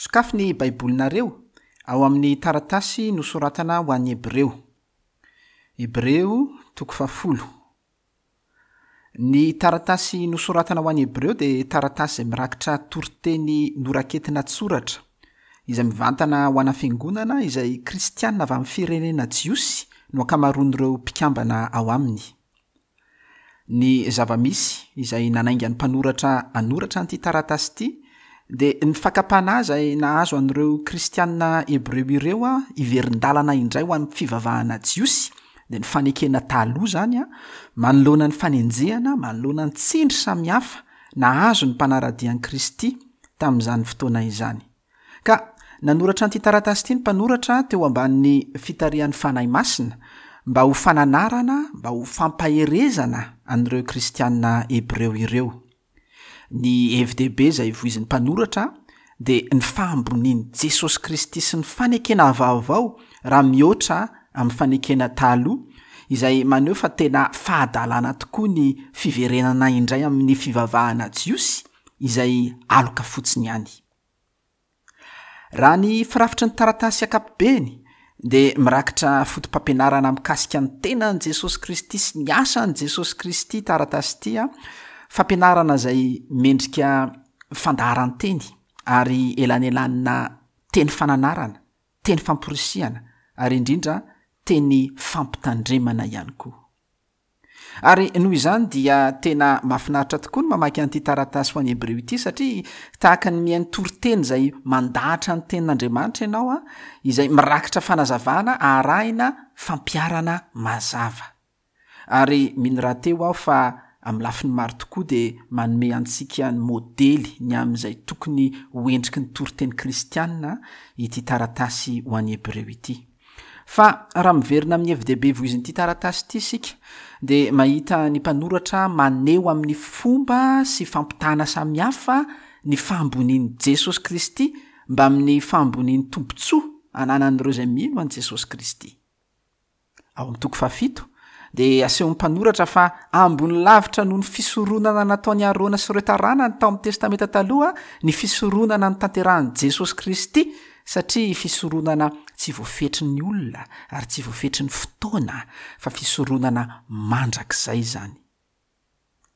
Sokafy ny Baibolinareo ao amin'ny taratasy nosoratana ho an'ny Hebreo. Hebreo toko fahafolo. Ny taratasy nosoratana ho an'ny Hebreo dia taratasy izay mirakitra toriteny noraketina an-tsoratra, izay mivantana ho ana fiangonana izay kristiana avy amin'ny firenena jiosy no ankamaroan'ireo mpikambana ao aminy. Ny zava-misy izay nanainga ny mpanoratra hanoratra an'ity taratasy ity dia ny fakam-panahy izay nahazo an'ireo kristiana hebreo ireo hiverin-dalana indray ho an'ny fivavahana jiosy, dia ny fanekena taloha izany, manoloana ny fanenjehana, manoloana ny tsindry samihafa nahazo ny mpanara-dia an'i Kristy tamin'izany fotoana izany. Ka nanoratra an'ity taratasy ity ny mpanoratra teo ambanin'ny fitarihan'ny Fanahy Masina, mba ho fananarana, mba ho fampaherezana an'ireo kristiana hebreo ireo. Ny hevi-dehibe izay voizin'ny mpanoratra dia ny fahambonian'i Jesosy Kristy sy ny fanekena vaovao raha mihoatra amin'ny fanekena taloha, izay maneho fa tena fahadalana tokoa ny fiverenana indray amin'ny fivavahana jiosy izay aloka fotsiny ihany. Raha ny firafitry ny taratasy ankapobeny dia mirakitra fotopampianarana mikasika ny tenan'i Jesosy Kristy sy ny asan'i Jesosy Kristy taratasy ity, fampianarana izay mendrika fandaharan-teny ary elanelanina teny fananarana, teny famporisihana ary indrindra teny fampitandremana ihany koa. Ary noho izany dia tena mahafinaritra tokoa ny mamaky an'ity taratasy ho an'ny Hebreo ity satria tahaka ny mihaino toriteny izay mandahatra ny tenin'Andriamanitra ianao an, izay mirakitra fanazavana arahina fampiharana mazava. Ary mino rahateo aho fa amin'ny lafiny maro tokoa dia manome antsika ny modely ny amin'izay tokony ho endriky ny toriteny kristiana ity taratasy ho an'ny Hebreo ity. Fa raha miverina amin'ny hevi-dehibe voizin'ity taratasy ity isika, dia mahita ny mpanoratra maneho amin'ny fomba sy fampitahana samihafa ny fahambonian'i Jesosy Kristy mbamin'ny fahambonian'ny tombontsoa ananan'ireo izay mino an'i Jesosy Kristy. Ao amin'ny toko fahafito, dia asehon'ny mpanoratra fa ambony lavitra noho ny fisoronana nataon'i Arona sy ireo taranany tao amin'ny Testamenta Taloha ny fisoronana notanterahin'i Jesosy Kristy, satria fisoronana tsy voafetry ny olona ary tsy voafetry ny fotoana, fa fisoronana mandrakizay izany.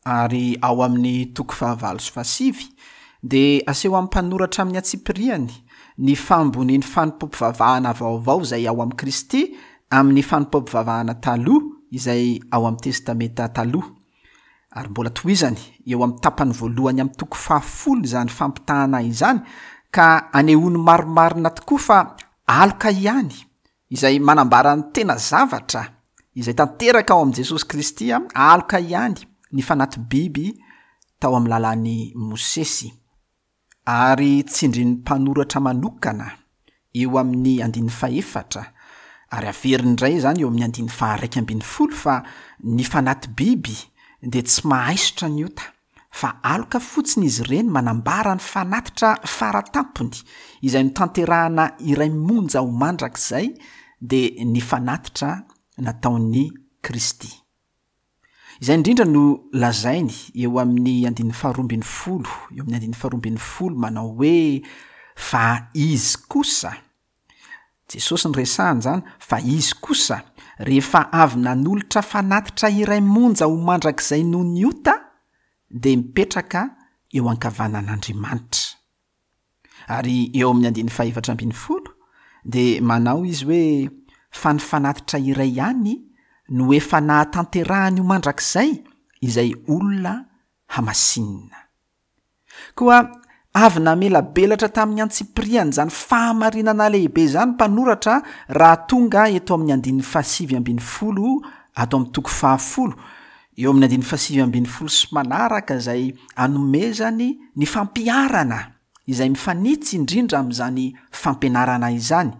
Ary ao amin'ny toko fahavalo sy fahasivy dia aseho amin'ny mpanoratra amin'ny antsipiriany ny fahambonian'ny fanompoam-pivavahana vaovao izay ao amin'i Kristy amin'ny fanompoam-pivavahana taloha izay ao amin'ny Testamenta Taloha. Ary mbola tohizany eo amin'ny tapany voalohany amin'ny toko fahafolo izany fampitahana izany ka anehoany marimarina tokoa fa aloka ihany izay manambara ny tena zavatra izay tanteraka ao amin'i Jesosy Kristy, aloka ihany ny fanaty-biby tao amin'ny lalàn'i Mosesy. Ary tsindrin'ny mpanoratra manokana eo amin'ny andininy fahefatra, ary averiny indray izany eo amin'ny andininy faha-11 fa ny fanaty-biby dia tsy mahaisotra ny ota. Fa aloka fotsiny izy ireny manambara ny fanatitra fara tampony izay notanterahana iray monja ho mandrakizay dia ny fanatitra nataon'i Kristy. Izay indrindra no lazainy eo amin'ny andininy faharoa ambin'ny folo, eo amin'ny andininy faharoa ambin'ny folo manao hoe fa izy kosa, Jesosy no resahany izany, fa izy kosa, rehefa avy nanolotra fanatitra iray monja ho mandrakizay noho ny ota, dia mipetraka eo ankavanan'Andriamanitra. Ary eo amin'ny andininy fahefatra ambin'ny folo, dia manao izy hoe, Fa ny fanatitra iray ihany no efa nahatanterahany ho mandrakizay izay olona hamasinina. Koa avy namelabelatra tamin'ny antsipiriany izany fahamarinana lehibe izany ny mpanoratra raha tonga eto amin'ny andininy fahasivy ambin'ny folo ato amin'ny toko fahafolo, eo amin'ny andininy fahasivy ambin'ny folo sy manaraka izay anomezany ny fampiharana izay mifanitsy indrindra amin'izany fampianarana izany.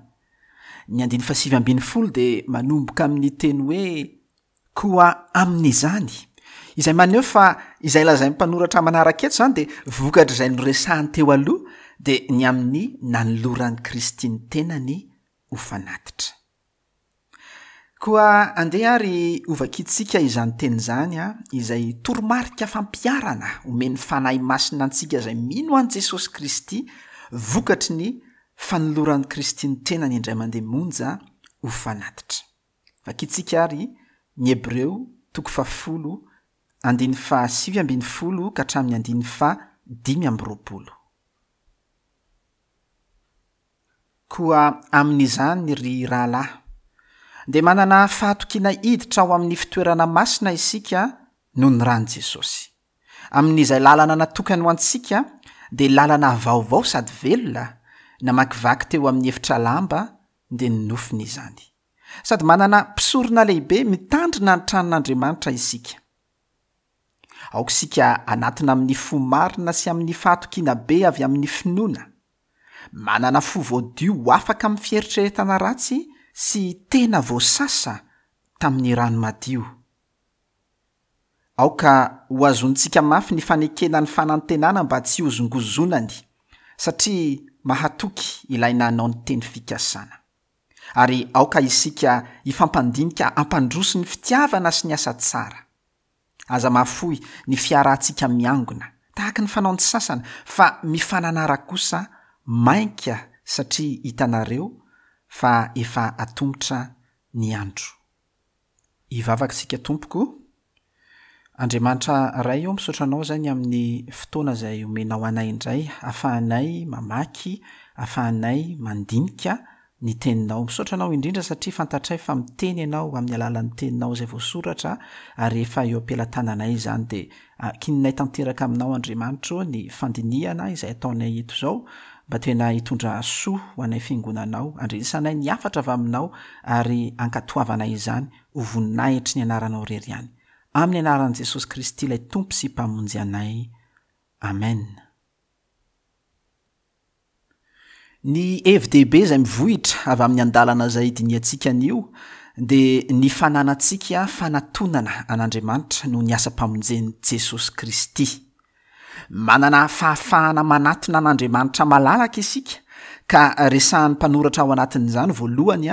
Ny andininy fahasivy ambin'ny folo dia manomboka amin'ny teny hoe Koa amin'izany, izay maneho fa izay lazain'ny mpanoratra manaraka eto izany dia vokatr'izay noresahany teo aloha, dia ny amin'ny nanoloran'i Kristy ny tenany ho fanatitra. Koa andeha ary hovakintsika izany teny izany, izay toromarika fampiharana omen'ny Fanahy Masina antsika izay mino an'i Jesosy Kristy. vokatry ny fanoloran'i Kristy ny tenany indray mandeha monja ho fanatitra. Vakintsika àry ny Hebreo toko fahafolo andininy faha-19 ka hatramin'ny andininy faha-25. Koa amin'izany, ry rahalahy, dia manana fahatokiana hiditra ao amin'ny fitoerana masina isika noho ny ran'i Jesosy. Amin'izay lalana natokany ho antsika, dia lalana vaovao sady velona, namakivaky teo amin'ny efitra lamba, dia ny nofony izany. Sady manana mpisorona lehibe mitandrina ny tranon'Andriamanitra isika. Aoka isika hanatona amin'ny fo marina sy amin'ny fahatokiana be avy amin'ny finoana. Manana fo voadio ho afaka amin'ny fieritreretana ratsy sy tena voasasa tamin'ny rano madio. Aoka hohazonintsika mafy ny fanekena ny fanantenana mba tsy hozongozonany, satria mahatoky ilay nanao ny teny fikasana. Ary aoka isika hifampandinika hampandroso ny fitiavana sy ny asa tsara. Aza mahafoy ny fiarahantsika miangona, tahaka ny fanaon'ny sasany, fa mifananara kosa mainka satria hitanareo fa efa atomotra ny andro. Hivavaka isika Tompoko. Andriamanitra Ray ô, misaotra Anao izay ny amin'ny fotoana izay omenao anay indray ahafahanay mamaky, ahafahanay mandinika ny Teninao. Misaotra Anao indrindra satria fantatray fa miteny Ianao amin'ny alalan'ny Teninao izay voasoratra ary efa eo am-pelatananay izany dia ankininay tanteraka Aminao Andriamanitra ô ny fandinihana izay ataonay eto izao mba tena hitondra soa ho anay Fiangonanao, andrenesanay ny hafatra avy Aminao ary ankatoavanay izany ho voninahitry ny Anaranao irery ihany. Amin'ny Anaran'i Jesosy Kristy ilay Tompo sy Mpamonjy anay. Amen. Ny hevi-dehibe izay mivohitra avy amin'ny andalana izay dinihantsika anio dia ny fananantsika fanatonana an'Andriamanitra noho ny asam-pamonjen'i Jesosy Kristy. Manana fahafahana manatona an'Andriamanitra malalaka isika ka resahan'ny mpanoratra ao anatin'izany voalohany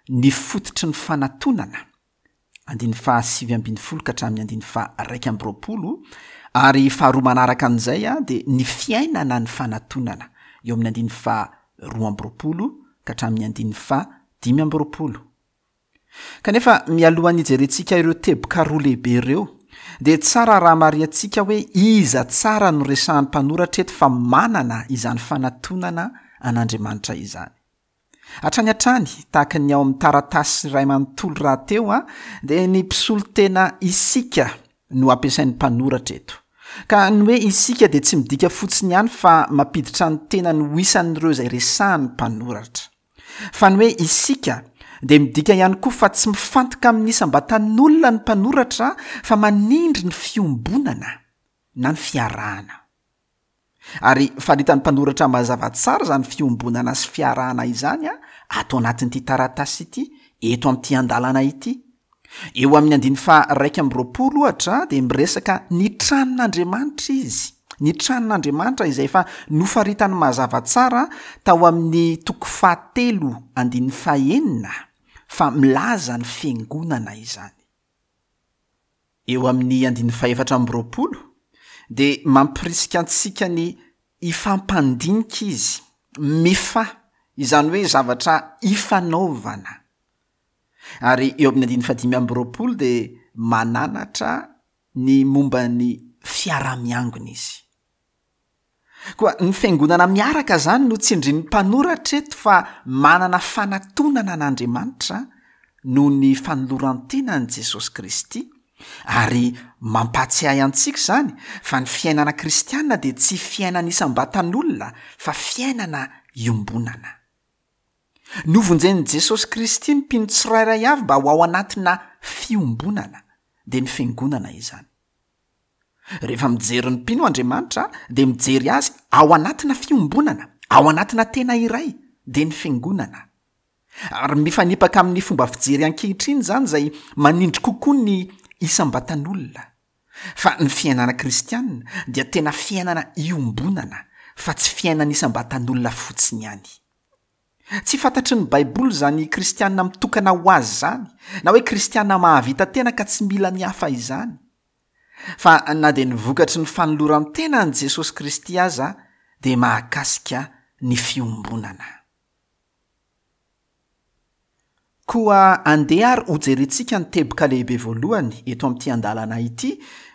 ny fototry ny fanatonana, andininy faha-19 ka hatramin'ny andininy faha-21, ary faharoa manaraka an'izay dia ny fiainana ny fanatonana, eo amin'ny andininy faha-22 ka hatramin'ny andininy faha-25. Kanefa mialohan'ny hijerentsika ireo teboka roa lehibe ireo, dia tsara raha marihantsika hoe iza tsara no resahan'ny mpanoratra eto fa manana izany fanatonana an'Andriamanitra izany. Hatrany hatrany, tahaka ny ao amin'ny taratasy iray manontolo rahateo, dia ny mpisolo tena isika no ampiasain'ny mpanoratra eto. Ka ny hoe isika dia tsy midika fotsiny ihany fa mampiditra ny tenany ho isan'ireo izay resahan'ny mpanoratra. Fa ny hoe isika dia midika ihany koa fa tsy mifantoka amin'ny isam-batan'olona ny mpanoratra fa manindry ny fiombonana na ny fiarahana. Ary faritan'ny mpanoratra mazava tsara izany fiombonana sy fiarahana izany ato anatin'ity taratasy ity, eto amin'ity andalana ity. Eo amin'ny andininy faha-21 ohatra dia miresaka ny tranon'Andriamanitra izy, ny tranon'Andriamanitra izay efa nofaritany mazava tsara tao amin'ny toko fahatelo andininy fahenina fa milaza ny fiangonana izany. Eo amin'ny andininy fahefatra amby roapolo dia mampirisika antsika ny hifampandinika izy, mifa, izany hoe zavatra ifanaovana. Ary eo amin'ny andininy fahadimy amby roapolo dia mananatra ny momba ny fiaraha-miangona izy. Koa ny fiangonana miaraka izany no tsindrin'ny mpanoratra eto fa manana fanatonana an'Andriamanitra noho ny fanoloran-tenan'i Jesosy Kristy, ary mampahatsiahy antsika izany fa ny fiainana kristiana dia tsy fiainana isam-batan'olona fa fiainana iombonana. Novonjen'i Jesosy Kristy ny mpino tsirairay avy mba ho ao anatina fiombonana, dia ny fiangonana izany. Rehefa mijery ny mpino Andriamanitra dia mijery azy ao anatina fiombonana, ao anatina tena iray, dia ny fiangonana. Ary mifanipaka amin'ny fomba fijery ankehitriny izany izay manindry kokoa ny isam-batan'olona. Fa ny fiainana kristiana dia tena fiainana iombonana fa tsy fiainana isam-batan'olona fotsiny ihany. Tsy fantatry ny Baiboly izany kristiana mitokana ho azy izany, na hoe kristiana mahavita tena ka tsy mila ny hafa izany. Fa na dia ny vokatry ny fanoloran-tena an'i Jesosy Kristy aza dia mahakasika ny fiombonana. Koa andeha ary hojerentsika ny teboka lehibe voalohany eto amin'ity andalana ity,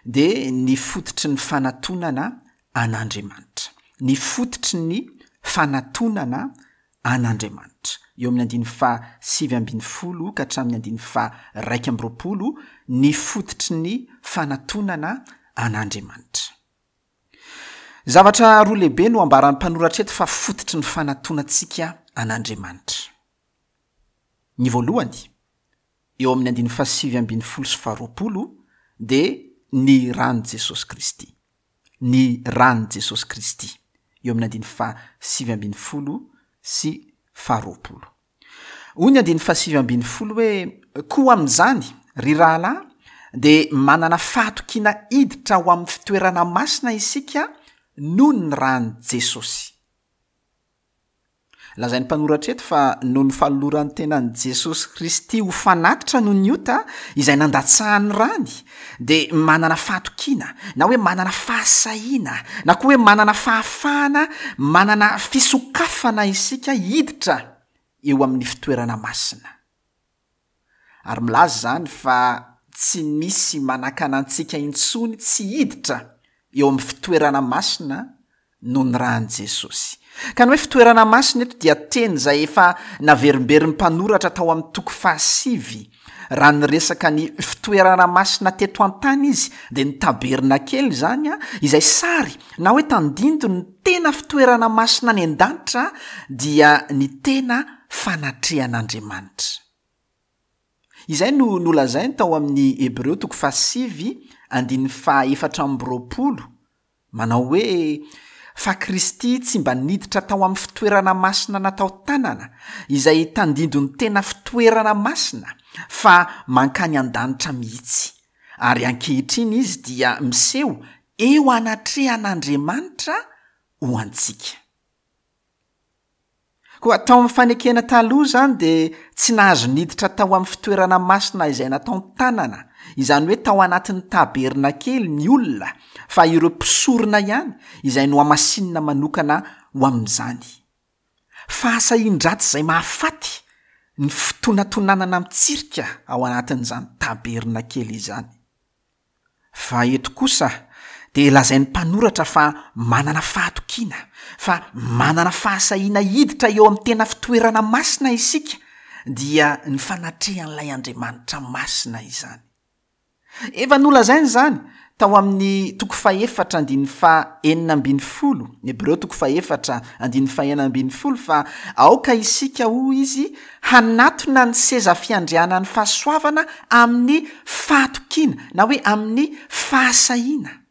dia ny fototry ny fanatonana an'Andriamanitra. Ny fototry ny fanatonana an'Andriamanitra. Eo amin'ny andininy faha 19 ka hatramin'ny andininy faha 21, ny fototry ny fanatonana an'Andriamanitra. Zavatra roa lehibe no ambaran'ny mpanoratra eto fa fototry ny fanatonantsika an'Andriamanitra. Ny voalohany, eo amin'ny andininy fahasivy ambin'ny folo sy faharoapolo, dia ny ran'i Jesosy Kristy. Ny ran'i Jesosy Kristy, eo amin'ny andininy fahasivy ambin'ny folo sy faharoapolo. Hoy ny andininy fahasivy ambin'ny folo hoe, Koa amin'izany, ry rahalahy, dia manana fahatokiana hiditra ho amin'ny fitoerana masina isika noho ny ran'i Jesosy. Lazain'ny mpanoratra eto fa noho ny fanoloran'ny tenan'i Jesosy Kristy ho fanatitra noho ny ota, izay nandatsahany rany, dia manana fahatokiana, na hoe manana fahasahiana, na koa hoe manana fahafahana, manana fisokafana isika hiditra eo amin'ny fitoerana masina. Ary milaza izany fa tsy misy manakana antsika intsony tsy hiditra eo amin'ny fitoerana masina noho ny ran'i Jesosy. Ka ny hoe fitoerana masina eto dia teny izay efa naverimberin'ny mpanoratra tao amin'ny toko fahasivy. Raha niresaka ny fitoerana masina teto an-tany izy dia ny tabernakely izany izay sary na hoe tandindon'ny tena fitoerana masina any an-danitra dia ny tena fanatrehan'Andriamanitra. Izay no nolazainy tao amin'ny Hebreo toko fahasivy andininy faha-24 Manao hoe, Fa Kristy tsy mba niditra tao amin'ny fitoerana masina natao tanana, izay tandindon'ny tena fitoerana masina, fa mankany an-danitra mihitsy. Ary ankehitriny Izy dia miseho eo anatrehan'Andriamanitra ho antsika. Koa tao amin'ny fanekena taloha izany dia tsy nahazo niditra tao amin'ny fitoerana masina izay nataon-tanana, izany hoe tao anatin'ny tabernakely ny olona fa ireo mpisorona ihany izay nohamasinina manokana ho amin'izany. Fahasahian-dratsy izay mahafaty ny fitonatonanana mitsirika ao anatin'izany tabernakely izany. Fa eto kosa dia lazain'ny mpanoratra fa manana fahatokiana, fa manana fahasahiana hiditra eo amin'ny tena fitoerana masina isika, dia ny fanatrehan'ilay Andriamanitra masina izany. Efa nolazainy izany tao amin'ny toko fahefatra andininy fahenina ambin'ny folo, Hebreo toko fahefatra andininy fahenina ambin'ny folo, fa aoka isika, hoy izy, hanatona ny seza fiandrianan'ny fahasoavana amin'ny fahatokiana na hoe amin'ny fahasahiana.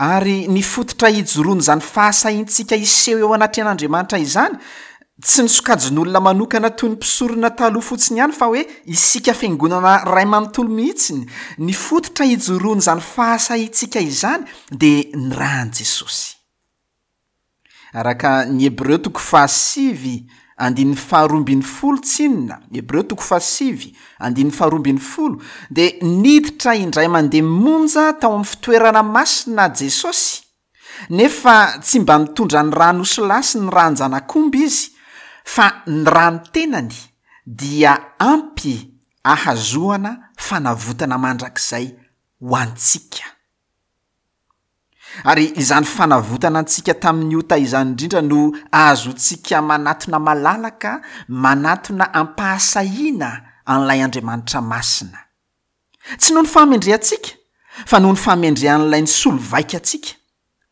Ary ny fototra ijoroan'izany fahasahiantsika hiseho eo anatrehan'Andriamanitra izany, tsy ny sokajin'olona manokana toy ny mpisorona taloha fotsiny ihany fa hoe isika fiangonana ray manontolo mihitsiny, ny fototra ijoroan'izany fahasahiantsika izany dia ny ran'i Jesosy. Araka ny Hebreo toko fahasivy andininy faharoa ambin'ny folo tsinona, Hebreo toko fahasivy andininy faharoa ambin'ny folo, dia niditra indray mandeha monja tao amin'ny fitoerana masina Jesosy, nefa tsy mba nitondra ny ran'osilahy sy ny ran-janak'omby Izy, fa ny ran'ny tenany dia ampy ahazoana fanavotana mandrakizay ho antsika. Ary izany fanavotana antsika tamin'ny ota izany indrindra no ahazoantsika manatona malalaka, manatona am-pahasahiana an'ilay Andriamanitra masina. Tsy noho ny fahamendrehantsika, fa noho ny fahamendrehan'ilay nisolo vaika antsika,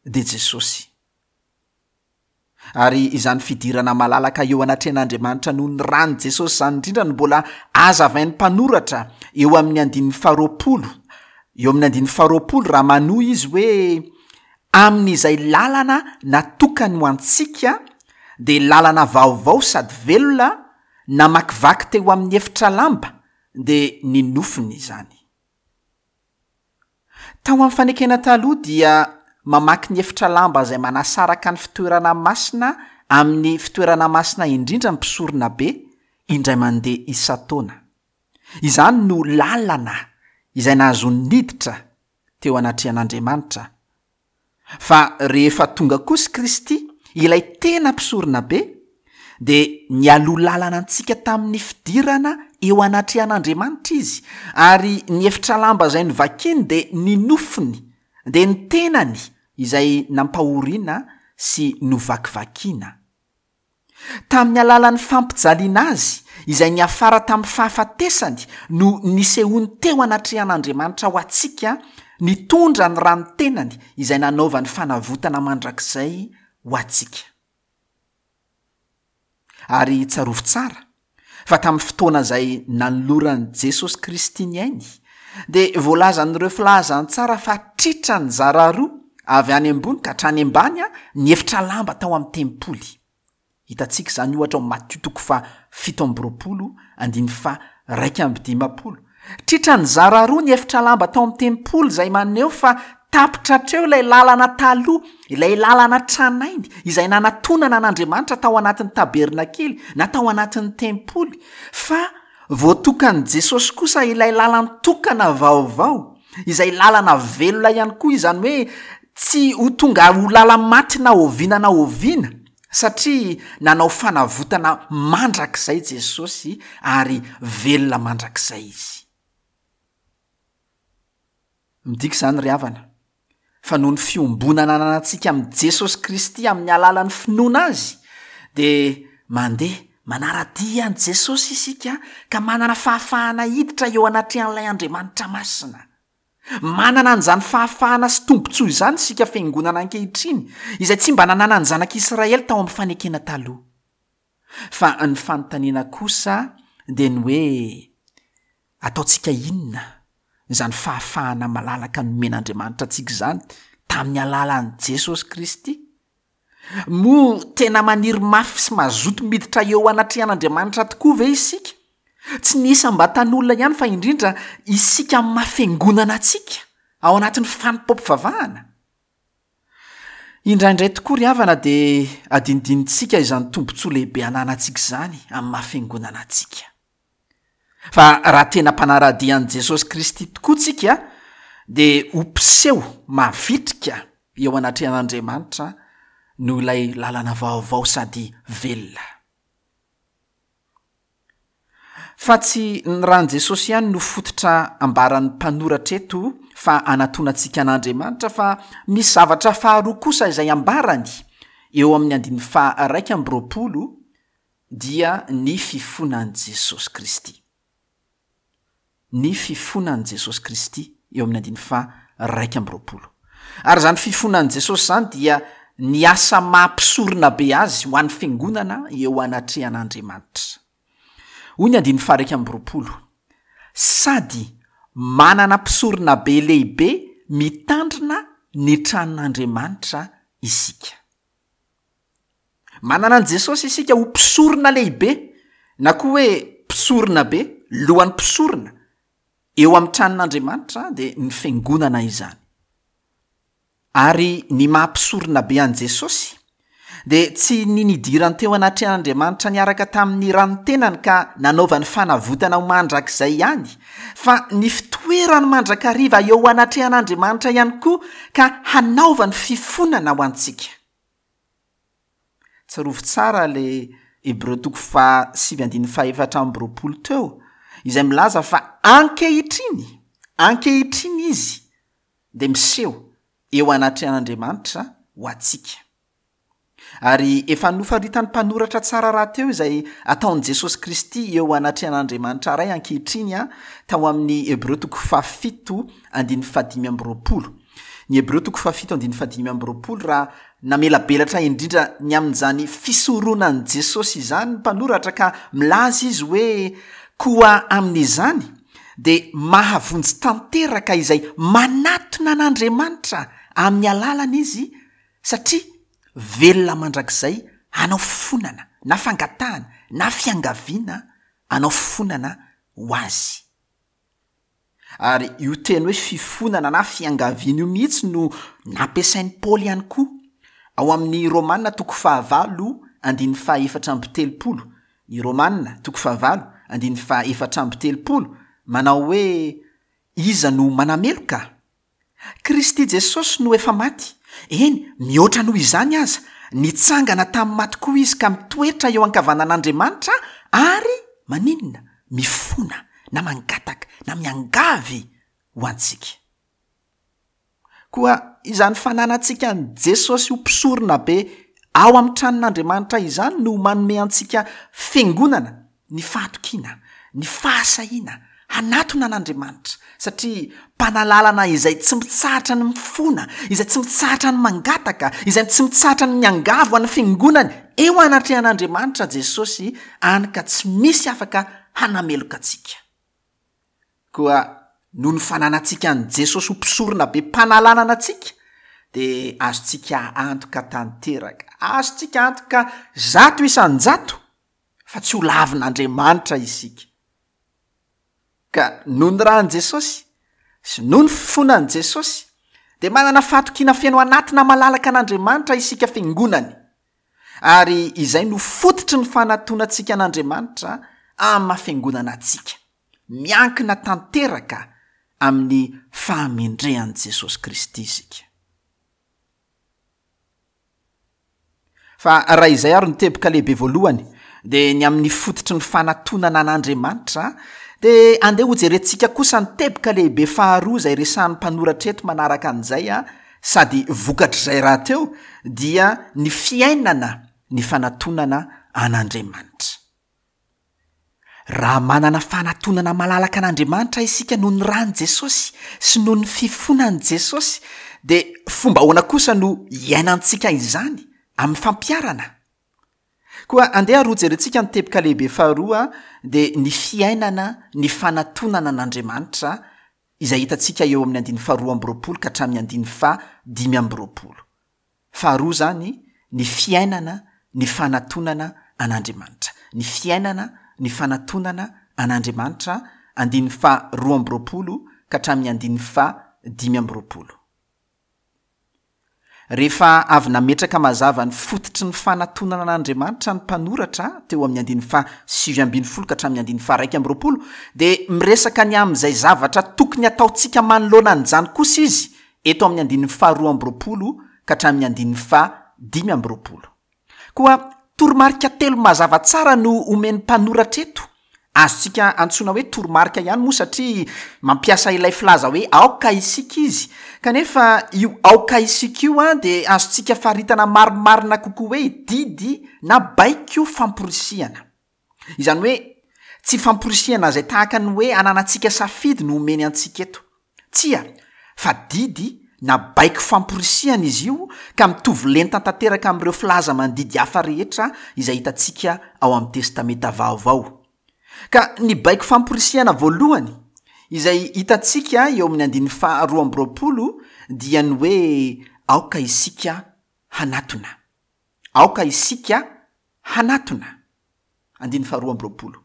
dia Jesosy. Ary izany fidirana malalaka eo anatrehan'Andriamanitra noho ny ran'i Jesosy izany indrindra no mbola azavain'ny mpanoratra eo amin'ny andininy faharoapolo, eo amin'ny andininy faharoapolo raha manohy izy hoe, Amin'izay lalana natokany ho antsika, dia lalana vaovao sady velona, namakivaky teo amin'ny efitra lamba, dia ny nofony izany. Tao amin'ny Fanekena Taloha dia mamaky ny efitra lamba izay manasaraka ny fitoerana masina amin'ny fitoerana masina indrindra ny mpisoronabe indray mandeha isan-taona. Izany no lalana izay nahazoany niditra teo anatrehan'Andriamanitra. Fa rehefa tonga kosa Kristy, ilay tena Mpisoronabe, dia nialoha lalana antsika tamin'ny fidirana eo anatrehan'Andriamanitra Izy, ary ny efitra lamba izay novakiny dia ny nofony, dia ny tenany izay nampahoriana sy novakivakiana. Tamin'ny alalan'ny fampijaliana Azy, izay niafara tamin'ny fahafatesany, no nisehoany teo anatrehan'Andriamanitra ho antsika, nitondra ny ran'ny tenany izay nanaovany fanavotana mandrakizay ho antsika. Ary tsarovy tsara fa tamin'ny fotoana izay nanoloran'i Jesosy Kristy ny ainy, dia voalazan'ireo filazantsara fa tritra nizara roa avy any ambony ka hatrany ambany ny efitra lamba tao amin'ny tempoly. Hitantsika izany ohatra ao Matio toko faha 27 andininy faha 51. Tritra nizara roa ny efitra lamba tao amin'ny tempoly izay maneho fa tapitra hatreo ilay lalana taloha, ilay lalana tranainy izay nanatonana an'Andriamanitra tao anatin'ny tabernakely na tao anatin'ny tempoly, fa voatokan'i Jesosy kosa ilay lalan-tokana vaovao, izay lalana velona ihany koa, izany hoe tsy ho tonga ho lala-maty na oviana na oviana. Satria nanao fanavotana mandrakizay Jesosy ary velona mandrakizay Izy. Midika izany ry havana, fa noho ny fiombonana ananantsika amin'i Jesosy Kristy amin'ny alalan'ny finoana Azy, dia mandeha manara-dia an'i Jesosy isika ka manana fahafahana hiditra eo anatrehan'ilay Andriamanitra Masina. Manana an'izany fahafahana sy tombontsoa izany isika fiangonana ankehitriny, izay tsy mba nananan'ny zanak'Israely tao amin'ny fanekena taloha. Fa ny fanontaniana kosa dia ny hoe, ataontsika inona izany fahafahana malalaka nomen'Andriamanitra antsika izany tamin'ny alalan'i Jesosy Kristy? Moa tena maniry mafy sy mazoto miditra eo anatrehan'Andriamanitra tokoa ve isika? Tsy ny isam-batan'olona ihany fa indrindra isika amin'ny maha fiangonana antsika ao anatin'ny fanompoam-pivavahana. Indraindray tokoa ry havana dia adinidinintsika izany tombontsoa lehibe ananantsika izany amin'ny maha fiangonana antsika. Fa raha tena mpanara-dia an'i Jesosy Kristy tokoa tsika dia ho mpiseho mavitrika eo anatrehan'Andriamanitra noho ilay lalana vaovao sady velona. Fa tsy ny ran'i Jesosy ihany no fototra ambaran'ny mpanoratra eto fa anatonantsika an'Andriamanitra fa misy zavatra faharoa kosa izay ambarany eo amin'ny andininy faha 21 dia ny fifonan'i Jesosy Kristy. Ny fifonan'i Jesosy Kristy eo amin'ny andininy faha 21. Ary izany fifonan'i Jesosy izany dia ny asa maha mpisorona be azy ho an'ny fiangonana eo anatrehan'Andriamanitra. Hoy ny andininy faha 21, Sady manana mpisoronabe lehibe mitandrina ny tranon'Andriamanitra isika. Manana an'i Jesosy isika ho mpisorona lehibe, na koa hoe mpisorona be, lohan'ny mpisorona, eo amin'ny tranon'Andriamanitra, dia ny fiangonana izany. Ary ny maha mpisorona be an'i Jesosy, dia tsy ny nidirany teo anatrehan'Andriamanitra niaraka tamin'ny ran'ny tenany ka nanaovany fanavotana ho mandrakizay ihany, fa ny fitoerany mandrakariva eo anatrehan'Andriamanitra ihany koa ka hanaovany fifonana ho antsika. Tsarovy tsara le Hebreo toko faha sivy andininy faha 24 teo, izay milaza fa ankehitriny, ankehitriny izy dia miseho eo anatrehan'Andriamanitra ho antsika. Ary efa nofaritan'ny mpanoratra tsara rahateo izay ataon'i Jesosy Kristy eo anatrehan'Andriamanitra Ray ankehitriny tao amin'ny Hebreo toko fahafito andininy fahadimy amby roapolo. Ny Hebreo toko fahafito andininy fahadimy amby roapolo, raha namelabelatra indrindra ny amin'izany fisoronan'i Jesosy izany ny mpanoratra ka milaza izy hoe, Koa amin'izany dia mahavonjy tanteraka izay manatona an'Andriamanitra amin'ny alalany izy, satria velona mandrakizay hanao fifonana na fangatahana na fiangaviana hanao fifonana ho azy. Ary io teny hoe fifonana na fiangaviana io mihitsy no nampiasain'i Paoly ihany koa, ao amin'ny Romana toko fahavalo andininy fahaefatra amby telopolo, ny Romana toko fahavalo andininy fahaefatra amby telopolo, manao hoe, Iza no manameloka? Kristy Jesosy no efa maty, eny, mihoatra noho izany aza, Nitsangana tamin'ny maty koa Izy ka mitoetra eo ankavanan'Andriamanitra ary maninona? Mifona na mangataka na miangavy ho antsika. Koa izany fananantsika an'i Jesosy ho Mpisoronabe ao amin'ny tranon'Andriamanitra izany no manome antsika fiangonana ny fahatokiana, ny fahasahiana hanatona an'Andriamanitra, satria Mpanalalana izay tsy mitsahatra ny mifona, izay tsy mitsahatra ny mangataka, izay tsy mitsahatra ny miangavy ho an'ny fiangonany eo anatrehan'Andriamanitra Jesosy, any ka tsy misy afaka hanameloka antsika. Koa noho ny fananantsika an'i Jesosy ho Mpisorona be mpanalanana antsika, dia azontsika antoka tanteraka, azontsika antoka 100%, fa tsy ho lavin'Andriamanitra isika. Ka noho ny ran'i Jesosy, sy noho ny fifonan'i Jesosy, dia manana fahatokiana feno anatina malalaka an'Andriamanitra isika fiangonany. Ary izay no fototry ny fanatonantsika an'Andriamanitra amin'ny maha fiangonana antsika. Miankina tanteraka amin'ny fahamendrehan'i Jesosy Kristy isika. Fa raha izay ary no teboka lehibe voalohany, dia ny amin'ny fototry ny fanatonana an'Andriamanitra, dia andeha hojerentsika kosa ny teboka lehibe faharoa izay resahan'ny mpanoratra eto manaraka an'izay, sady vokatr'izay rahateo, dia ny fiainana ny fanatonana an'Andriamanitra. Raha manana fanatonana malalaka an'Andriamanitra isika noho ny ran'i Jesosy sy noho ny fifonan'i Jesosy, dia fomba ahoana kosa no hiainantsika izany amin'ny fampiharana? Koa andeha ary hojerentsika ny teboka lehibe faharoa, dia ny fiainana ny fanatonana an'Andriamanitra, izay hitantsika eo amin'ny andininy faharoa amby roapolo ka hatramin'ny andininy faha 25. Faharoa izany, ny fiainana ny fanatonana an'Andriamanitra. Ny fiainana ny fanatonana an'Andriamanitra, andininy faha 22 ka hatramin'ny andininy faha 25. Rehefa avy nametraka mazava ny fototry ny fanatonana an'Andriamanitra ny mpanoratra teo amin'ny andininy faha 19 ka hatramin'ny andininy faha 21, dia miresaka ny amin'izay zavatra tokony hataontsika manoloana an'izany kosa izy eto amin'ny andininy faha 22 ka hatramin'ny andininy faha 25. Koa toromarika telo mazava tsara no omen'ny mpanoratra eto. Azontsika antsoina hoe toromarika ihany moa satria mampiasa ilay filaza hoe aoka isika izy, kanefa io aoka isika io dia azontsika faritana marimarina kokoa hoe didy na baiko famporisihana. Izany hoe tsy famporisihana izay tahaka ny hoe ananantsika safidy no omeny antsika eto. Tsia, fa didy na baiko famporisihana izy io ka mitovy lenta tanteraka amin'ireo filaza mandidy hafa rehetra izay hitantsika ao amin'ny Testamenta Vaovao. Ka ny baiko famporisihana voalohany izay hitantsika eo amin'ny andininy faha 22 dia ny hoe aoka isika hanatona. Aoka isika hanatona. Andininy faha 22.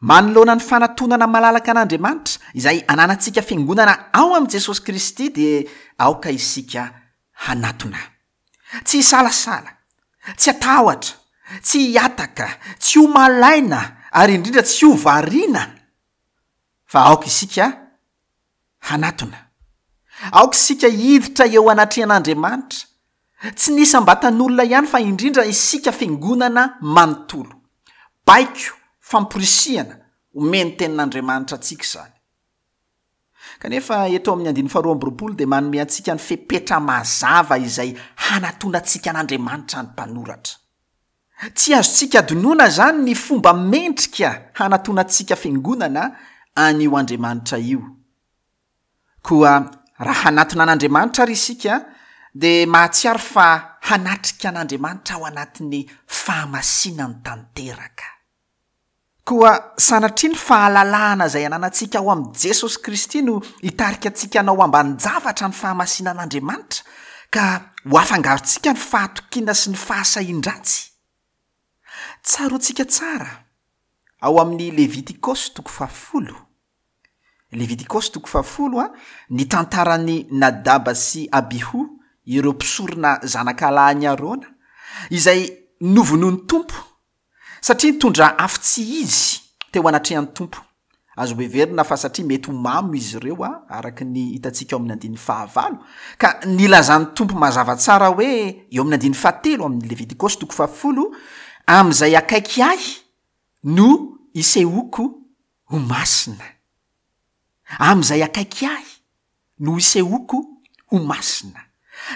Manoloana ny fanatonana malalaka an'Andriamanitra, izay ananantsika fiangonana ao amin'i Jesosy Kristy, dia aoka isika hanatona. Tsy hisalasala, tsy hatahotra, tsy hihataka, tsy ho malaina, ary indrindra tsy ho variana, fa aoka isika hanatona. Aoka isika hiditra eo anatrehan'Andriamanitra, tsy ny isam-batan'olona ihany fa indrindra isika fiangonana manontolo. Baiko, famporisihana, omen'ny Tenin'Andriamanitra antsika izany. Kanefa eto amin'ny andininy faharoa amby roapolo dia manome antsika ny fepetra mazava izay hanatonantsika an'Andriamanitra ny mpanoratra. Tsy azontsika adinoina izany ny fomba mendrika hanatonantsika fiangonana an'io Andriamanitra io. Koa raha hanatona an'Andriamanitra ary isika, dia mahatsiaro fa hanatrika an'Andriamanitra ao anatin'ny fahamasinany tanteraka. Koa sanatria ny fahalalahana izay ananantsika ao amin'i Jesosy Kristy no hitarika antsika hanao ambanin-javatra ny fahamasinan'Andriamanitra, ka ho afangarontsika ny fahatokiana sy ny fahasahian-dratsy. Tsaroantsika tsara, ao amin'ny Levitikosy toko fahafolo, Levitikosy toko fahafolo, ny tantaran'i Nadaba sy Abiho, ireo mpisorona zanakalahin'i Arona, izay novonoin'ny Tompo Satria nitondra afo tsy izy teo anatrehan'ny Tompo. Azo heverina fa satria mety ho mamo izy ireo, araka ny hitantsika ao amin'ny andininy fahavalo, ka nilazan'ny Tompo mazava tsara hoe, eo amin'ny andininy fahatelo amin'ny Levitikosy toko fahafolo, Amin'izay akaiky ahy no isehoako ho masina. Amin'izay akaiky ahy no isehoako ho masina.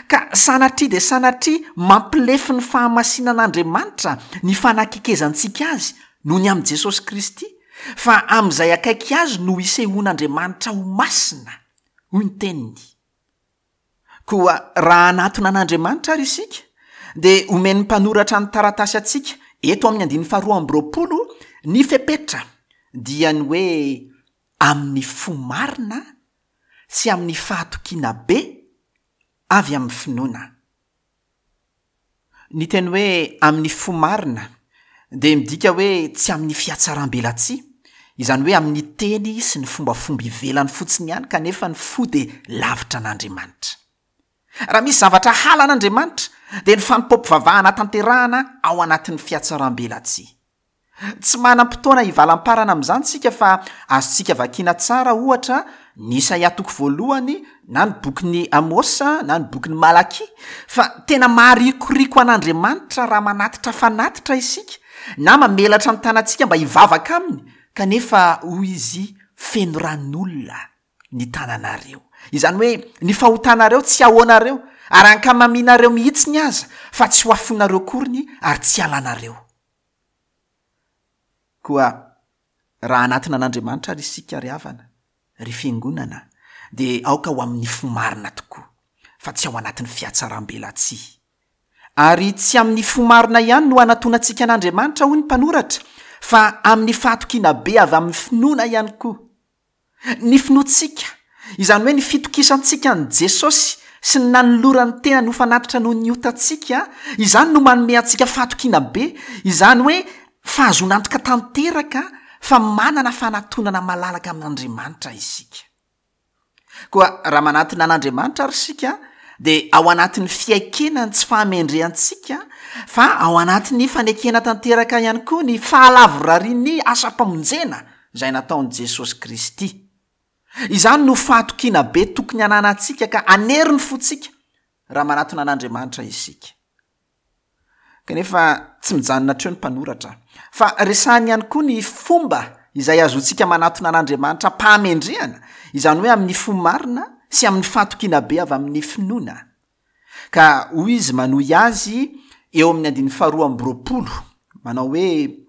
Ka sanatria dia sanatria mampilefy ny fahamasinan'Andriamanitra ny fanakekezantsika Azy noho ny amin'i Jesosy Kristy, fa amin'izay akaiky Azy no isehoan'Andriamanitra ho masina, hoy ny Teniny. Koa raha hanatona an'Andriamanitra ary isika, dia omen'ny mpanoratra ny taratasy antsika eto amin'ny andininy faharoa amby 20 ny fepetra, dia ny hoe amin'ny fo marina sy amin'ny fahatokiana be avy amin'ny finoana. Ny teny hoe amin'ny fo marina dia midika hoe tsy amin'ny fihatsaram-belatsihy, izany hoe amin'ny teny sy ny fombafomba ivelany fotsiny ihany kanefa ny fo dia lavitra an'Andriamanitra. Raha misy zavatra halan'Andriamanitra dia ny fanompoam-pivavahana tanterahana ao anatin'ny fihatsaram-belatsihy. Tsy manam-potoana hivalamparana amin'izany isika fa azontsika vakiana tsara, ohatra, ny Isaia toko voalohany, na ny bokin'i Amosa, na ny bokin'i Malakia, fa tena maharikoriko an'Andriamanitra raha manatitra fanatitra isika, na mamelatra ny tanantsika mba hivavaka aminy, kanefa hoy Izy, feno ran'olona ny tananareo. Izany hoe, ny fahotanareo tsy ahoanareo, ary ankamamianareo mihitsiny aza, fa tsy ho afoinareo akoriny ary tsy halanareo. Koa raha hanatona an'Andriamanitra ary isika ry havana, ry fiangonana, dia aoka ho amin'ny fo marina tokoa, fa tsy ao anatin'ny fihatsaram-belatsihy. Ary tsy amin'ny fo marina ihany no hanatonantsika an'Andriamanitra, hoy ny mpanoratra, fa amin'ny fahatokiana be avy amin'ny finoana ihany koa. Ny finoantsika, izany hoe ny fitokisantsika an'i Jesosy sy ny nanolorany tenany ho fanatitra noho ny otantsika, izany no manome antsika fahatokiana be, izany hoe fahazoana antoka tanteraka fa manana fanatonana malalaka amin'Andriamanitra isika. Koa raha manatona an'Andriamanitra ary isika, dia ao anatin'ny fiaikena ny tsy fahamendrehantsika, fa ao anatin'ny fanekena tanteraka ihany koa ny fahalavorarian'ny asam-pamonjena izay nataon'i Jesosy Kristy. Izany no fahatokiana be tokony hananantsika ka hanery ny fontsika raha manatona an'Andriamanitra isika. Kanefa tsy mijanona hatreo ny mpanoratra, fa resahiny ihany koa ny fomba izay azontsika manatona an'Andriamanitra am-pahamendrehana, izany hoe amin'ny fo marina sy amin'ny fahatokiana be avy amin'ny finoana. Ka hoy izy manohy azy eo amin'ny andininy faharoa 22, manao hoe,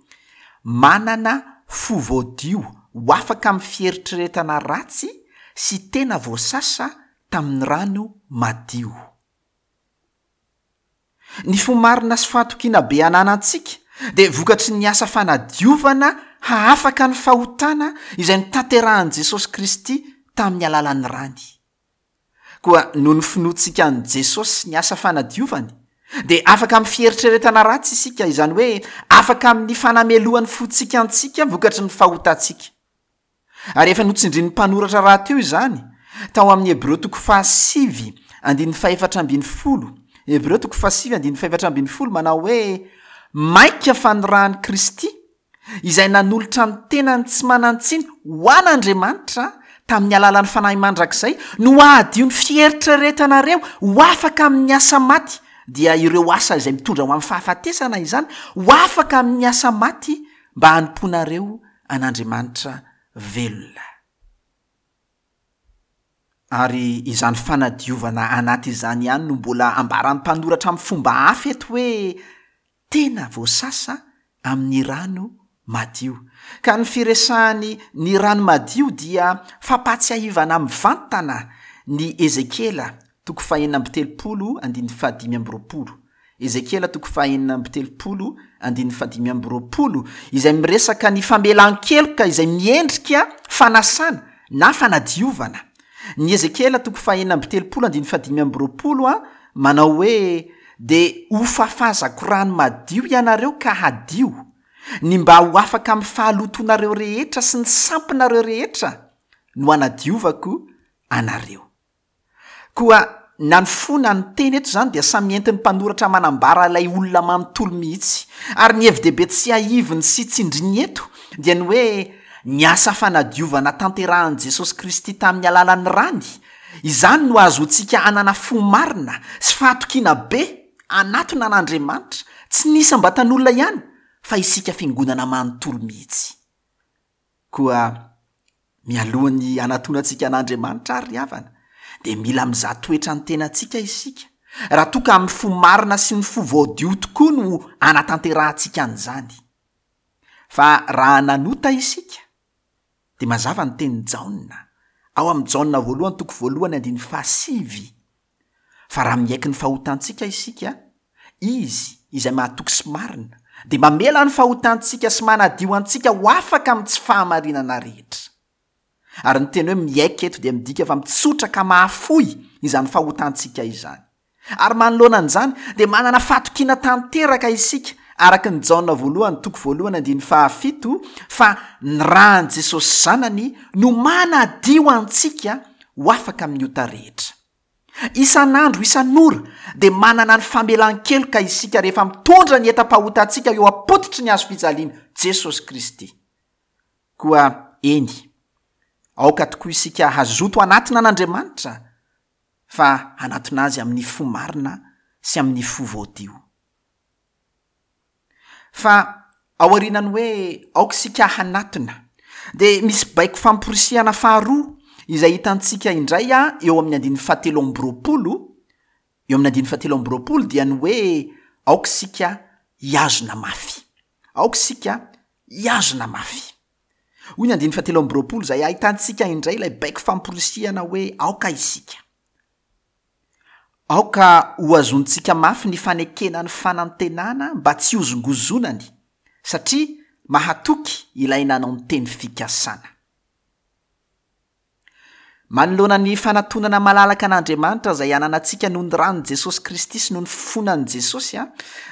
Manana fo voadio ho afaka amin'ny fieritreretana ratsy sy tena voasasa tamin'ny rano madio. Ny fo marina sy fahatokiana be ananantsika dia vokatry ny asa fanadiovana hahafaka ny fahotana izay notanterahin'i Jesosy Kristy tamin'ny alalan'ny rany. Koa noho ny finoantsika an'i Jesosy sy ny asa fanadiovany, dia afaka amin'ny fieritreretana ratsy isika, izany hoe afaka amin'ny fanamelohan'ny fontsika antsika vokatry ny fahotantsika. Ary efa notsindrin'ny mpanoratra rahateo izany, tao amin'ny Hebreo toko fahasivy andininy fahefatra 14, Hebreo toko fahasivy andininy fahefatra 14 manao hoe, Mainka fa ny ran'i Kristy, izay nanolotra ny tenany tsy manan-tsiny ho an'Andriamanitra tamin'ny alalan'ny Fanahy mandrakizay, no hahadio ny fieritreretanareo ho afaka amin'ny asa maty, dia ireo asa izay mitondra ho amin'ny fahafatesana izany, ho afaka amin'ny asa maty mba hanompoanareo an'Andriamanitra velona. Ary izany fanadiovana anaty izany ihany no mbola ambaran'ny mpanoratra amin'ny fomba hafa eto hoe tena voasasa amin'ny rano madio. Ka ny firesahany ny rano madio dia fampahatsiahivana mivantana ny Ezekiela toko fahenina 36 andininy fahadimy 25. Ezekiela toko fahenina 36 andininy fahadimy 25 izay miresaka ny famelan-keloka izay miendrika fanasana na fanadiovana. Ny Ezekiela toko fahenina 36 andininy fahadimy 25 a manao hoe, Dia hofafazako rano madio ianareo ka hadio, ny mba ho afaka amin'ny fahalotoanareo rehetra sy ny sampinareo rehetra no hanadiovako anareo. Koa na ny fo na ny teny eto izany dia samy entin'ny mpanoratra manambara ilay olona manontolo mihitsy. Ary ny hevi-dehibe tsiahiviny sy tsindriny eto dia ny hoe. Ny asa fanadiovana tanterahan'i Jesosy Kristy tamin'ny alalan'ny rany, izany no ahazoantsika hanana fo marina sy fahatokiana be hanatona an'Andriamanitra, tsy ny isam-batan'olona ihany fa isika fiangonana manontolo mihitsy. Koa mialohan'ny hanatonantsika an'Andriamanitra ary ry havana, dia mila mizaha toetra ny tenantsika isika, raha toa ka amin'ny fo marina sy ny fo voadio tokoa no hanatanterahantsika an'izany. Fa raha nanota isika, dia mazava ny tenin'i Jaona, ao amin'ny Jaona voalohany toko voalohany andininy fahasivy, fa raha miaiky ny fahotantsika isika, Izy izay mahatoky sy marina, dia mamela ny fahotantsika sy manadio antsika ho afaka amin'ny tsy fahamarinana rehetra. Ary ny teny hoe miaiky eto dia midika fa mitsotra ka mahafoy izany fahotantsika izany. Ary manoloana an'izany dia manana fahatokiana tanteraka isika, araka ny Jaona voalohany toko voalohany andininy fahafito, fa ny ran'i Jesosy Zanany no manadio antsika ho afaka amin'ny ota rehetra. Isan'andro isan'ora dia manana ny famelan-keloka isika rehefa mitondra ny entam-pahotantsika eo am-pototry ny hazo fijaliana Jesosy Kristy. Koa eny, aoka tokoa isika hazoto hanatona an'Andriamanitra fa hanatona Azy amin'ny fo marina sy amin'ny fo voadio. Fa aorianan'ny hoe aoka isika hanatona, dia misy baiko famporisihana faharoa izay hitantsika indray eo amin'ny andininy fahatelo amby 20, eo amin'ny andininy fahatelo amby 20 dia ny hoe aoka isika hihazona mafy. Aoka isika hihazona mafy. Hoy ny andininy fahatelo amby 20 izay ahitantsika indray ilay baiko famporisihana hoe aoka isika. Aoka hohazontsika mafy ny fanekena ny fanantenana mba tsy hozongozonany, satria mahatoky ilay nanao ny teny fikasana. Manoloana ny fanatonana malalaka an'Andriamanitra izay ananantsika noho ny ran'i Jesosy Kristy sy noho ny fifonan'i Jesosy,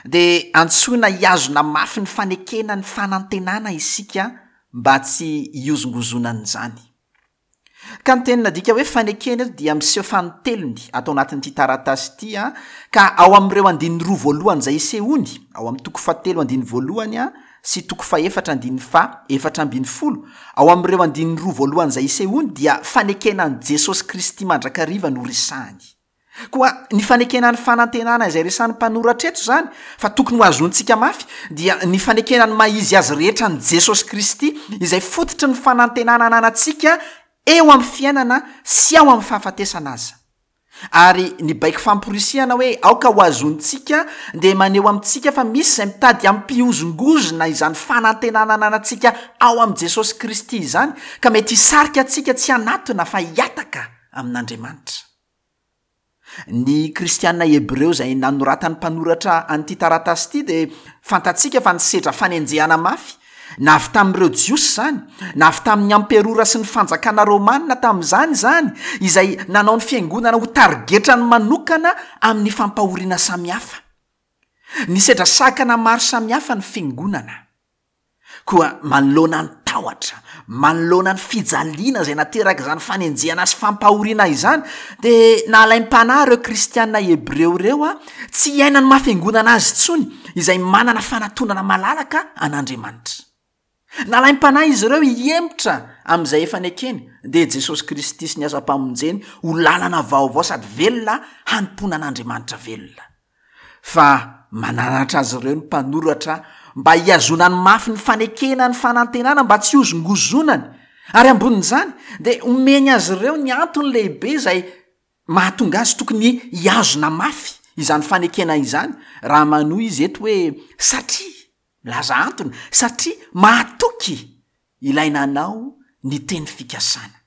dia antsoina hihazona mafy ny fanekena ny fanantenana isika mba tsy hihozongozonan'izany. Ka ny teny nadika hoe fanekena eto dia miseho fanintelony ato anatin'ity taratasy ity, ka ao amin'ireo andininy roa voalohany izay isehoany, ao amin'ny toko fahatelo andininy voalohany, sy toko fahefatra andininy faha 14, ao amin'ireo andininy roa voalohany izay isehoany dia fanekena an'i Jesosy Kristy mandrakariva no resahany. Koa ny fanekena ny fanantenana izay resahan'ny mpanoratra eto izany fa tokony ho azontsika mafy dia ny fanekena ny maha izy azy rehetra an'i Jesosy Kristy izay fototry ny fanantenana ananantsika eo amin'ny fiainana sy ao amin'ny fahafatesana aza. Ary ny baiko famporisihana hoe aoka ho azontsika dia maneho amintsika fa misy izay mitady hampihozongozona izany fanantenana ananantsika ao amin'i Jesosy Kristy izany ka mety hisarika antsika tsy hanatona fa hihataka amin'Andriamanitra. Ny kristiana hebreo izay nanoratan'ny mpanoratra an'ity taratasy ity dia fantatsika fa nisedra fanenjehana mafy Na avy tamin'ireo Jiosy izany, na avy tamin'ny amperora sy ny fanjakana romana tamin'izany izany, izay nanao ny fiangonana ho tarigetrany manokana amin'ny fampahoriana samihafa. Nisedra sakana maro samihafa ny fiangonana. Koa manoloana ny tahotra, manoloana ny fijaliana izay naterak'izany fanenjehana sy fampahoriana izany, dia nalaim-panahy ireo kristiana hebreo ireo tsy hiaina ny maha fiangonana azy intsony, izay manana fanatonana malalaka an'Andriamanitra. Nalaim-panahy izy ireo hihemotra amin'izay efa nekeny, dia Jesosy Kristy sy ny asam-pamonjeny ho lalana vaovao sady velona hanompoana an'Andriamanitra velona. Fa mananatra azy ireo ny mpanoratra mba hihazonany mafy ny fanekena ny fanantenana mba tsy hozongozonany, ary ambonin'izany dia omeny azy ireo ny antony lehibe izay Mahatonga azy tokony hihazona mafy izany fanekena izany raha manohy izy eto hoe satria, milaza antony, satria mahatoky ilay nanao ny teny fikasana.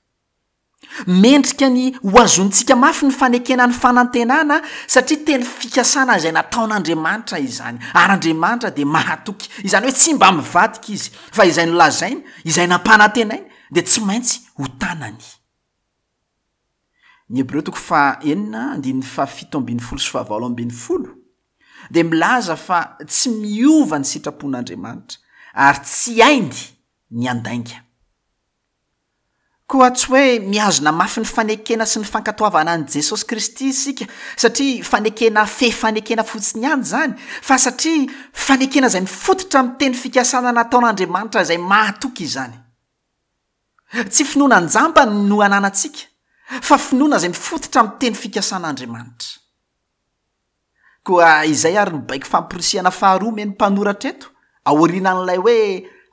Mendrika ny hohazonintsika mafy ny fanekena ny fanantenana satria teny fikasana izay nataon'Andriamanitra izany, ary Andriamanitra dia mahatoky, izany hoe tsy mba mivadika izy, fa izay nolazainy, izay nampanantenainy dia tsy maintsy ho tanany. Ny Hebreo toko faha-6 andininy faha-17 sy faha-18 dia milaza fa tsy miova ny sitrapon'Andriamanitra ary tsy hainy ny handainga. Koa tsy hoe mihazona mafy ny fanekena sy ny fankatoavana an'i Jesosy Kristy isika satria fanekena fe fanekena fotsiny ihany izany, fa satria fanekena izay mifototra amin'ny teny fikasana nataon'Andriamanitra izay mahatoky izany. Tsy finoana an-jambany no ananantsika, fa finoana izay mifototra amin'ny teny fikasan'Andriamanitra. Koa izay ary ny baiko famporisihana faharoa omen'ny mpanoratra eto, aorianan'ilay hoe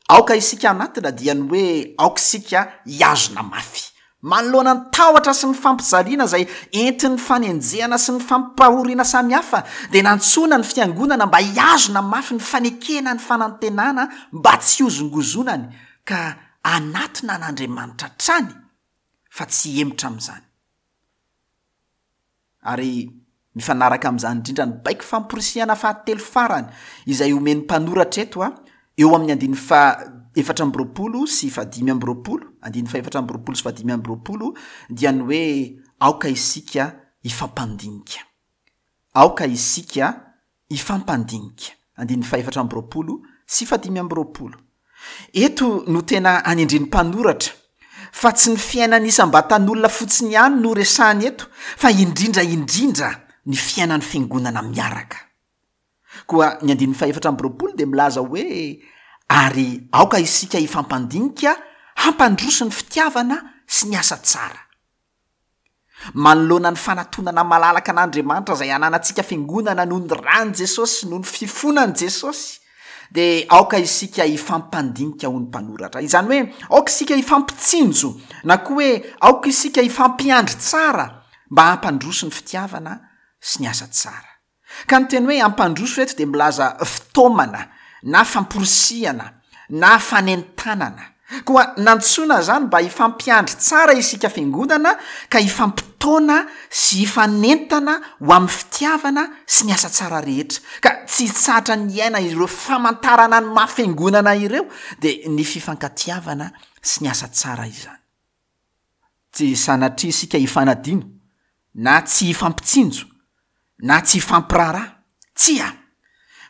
aoka isika hanatona dia ny hoe aoka isika hihazona mafy. Manoloana ny tahotra sy ny fampijaliana izay entin'ny fanenjehana sy ny fampahoriana samihafa dia nantsoina ny fiangonana mba hihazona mafy ny fanekena ny fanantenana mba tsy hihozongozonany ka hanatona an'Andriamanitra hatrany fa tsy hihemotra amin'izany. Ary mifanaraka amin'izany indrindra ny baiko famporisihana fahatelo farany izay omen'ny mpanoratra eto a, eo amin'ny andininy faha 24 sy fahadimy 25, andininy faha 24 sy fahadimy 25, dia ny hoe aoka isika hifampandinika. Aoka isika hifampandinika. Andininy fahefatra 24 sy fahadimy 25. Eto no tena anendren'ny mpanoratra fa tsy ny fiainan'ny isam-batan'olona fotsiny ihany no resahiny eto fa indrindra indrindra ny fiainan'ny fiangonana miaraka. Koa ny andininy fahefatra 24 dia milaza hoe ary aoka isika hifampandinika hampandroso ny fitiavana sy ny asa tsara. Manoloana ny fanatonana malalaka an'Andriamanitra izay ananantsika fiangonana noho ny ran'i Jesosy sy noho ny fifonan'i Jesosy, dia aoka isika hifampandinika hoy ny mpanoratra. Izany hoe aoka isika hifampitsinjo na koa hoe aoka isika hifampiandry tsara mba hampandroso ny fitiavana sy ny asa tsara. Ka ny teny hoe hampandroso eto dia milaza fitaomana na famporisihana na fanentanana. Koa nantsoina izany mba hifampiandry tsara isika fiangonana ka hifampitaona sy hifanentana ho amin'ny fitiavana sy ny asa tsara rehetra. Ka tsy hitsahatra ny hiaina ireo famantarana ny maha fiangonana ireo dia ny fifankatiavana sy ny asa tsara izany. Tsy sanatria isika hifanadino, na tsy hifampitsinjo, na tsy hifampiraharaha. Tsia!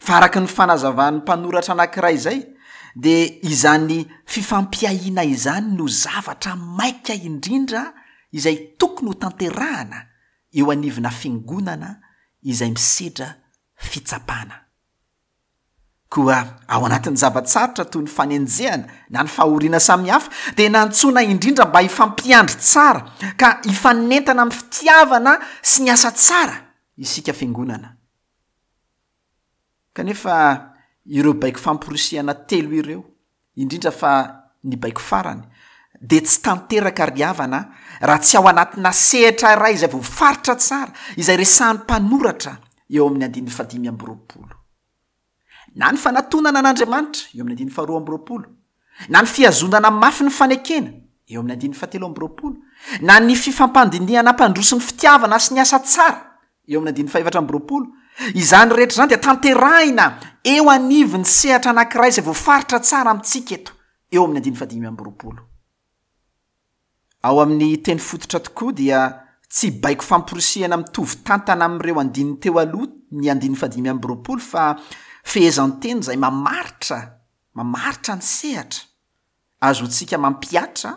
Fa araka ny fanazavan'ny mpanoratra anankiray izay, dia izany fifampiahiana izany no zavatra maika indrindra izay tokony hotanterahana eo anivona fiangonana izay misedra fitsapana. Koa ao anatin'ny zava-tsarotra toy ny fanenjehana na ny fahoriana samihafa dia nantsoina indrindra mba hifampiandry tsara ka hifanentana amin'ny fitiavana sy ny asa tsara isika fiangonana. Kanefa ireo baiko famporisihana telo ireo, indrindra fa ny baiko farany, dia tsy tanteraka ry havana raha tsy ao anatina sehatra iray izay voafaritra tsara, izay resahan'ny mpanoratra eo amin'ny andininy fahadimy 25. Na ny fanatonana an'Andriamanitra, eo amin'ny andininy faharoa 22, na ny fihazonana mafy ny fanekena, eo amin'ny andininy fahatelo 22, na ny fifampandinihana hampandroso ny fitiavana sy ny asa tsara, eo amin'ny andininy fahefatra 25, izany rehetra izany dia tanterahina eo anivon'ny sehatra anankiray izay voafaritra tsara amintsika eto, eo amin'ny andininy fahadimy 25. Ao amin'ny teny fototra tokoa dia tsy baiko famporisihana mitovy tantana amin'ireo andininy teo aloha ny andininy fahadimy 25 fa fehezanteny izay mamaritra mamaritra ny sehatra azontsika mampihatra,